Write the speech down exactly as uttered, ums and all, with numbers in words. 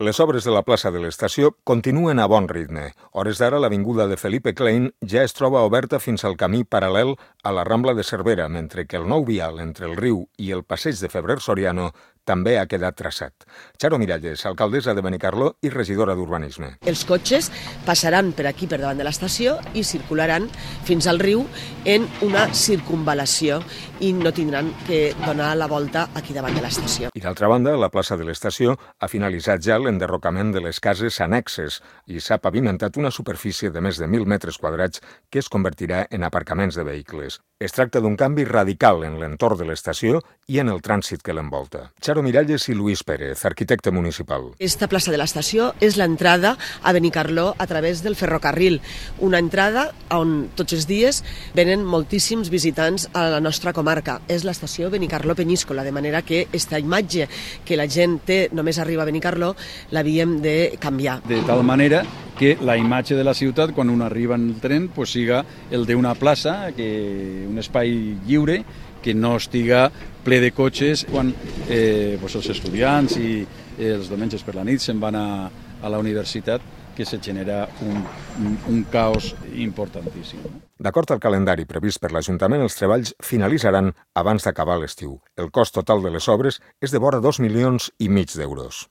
Les obres de la plaça de l'estació continuen a bon ritme. Hores d'ara, l'avinguda de Felipe Klein ja es troba oberta fins al camí paral·lel a la Rambla de Cervera, mentre que el nou vial entre el riu i el passeig de Febrer Soriano també ha quedat traçat. Charo Miralles, alcaldessa de Benicarló i regidora d'Urbanisme. Els cotxes passaran per aquí, per davant de l'estació, i circularan fins al riu en una circunvalació i no tindran que donar la volta aquí davant de l'estació. I d'altra banda, la plaça de l'estació ha finalitzat ja l'enderrocament de les cases annexes i s'ha pavimentat una superfície de més de mil metres quadrats que es convertirà en aparcaments de vehicles. Es tracta d'un canvi radical en l'entorn de l'estació i en el trànsit que l'envolta. Charo Miralles i Luis Pérez, arquitecte municipal. Esta plaça de l'estació és l'entrada a Benicarló a través del ferrocarril, una entrada on tots els dies venen moltíssims visitants a la nostra comarca. És l'estació Benicarló-Peníscola, de manera que aquesta imatge que la gent té només arriba a Benicarló l'havíem de canviar. De tal manera que la imatge de la ciutat, quan un arriba en el tren, pues, siga el d'una plaça, que un espai lliure, que no estiga ple de cotxes quan eh, pues els estudiants i eh, els diumenges per la nit se'n van a, a la universitat, que se genera un, un, un caos importantíssim. D'acord al calendari previst per l'Ajuntament, els treballs finalitzaran abans d'acabar l'estiu. El cost total de les obres és de vora dos milions i mig d'euros.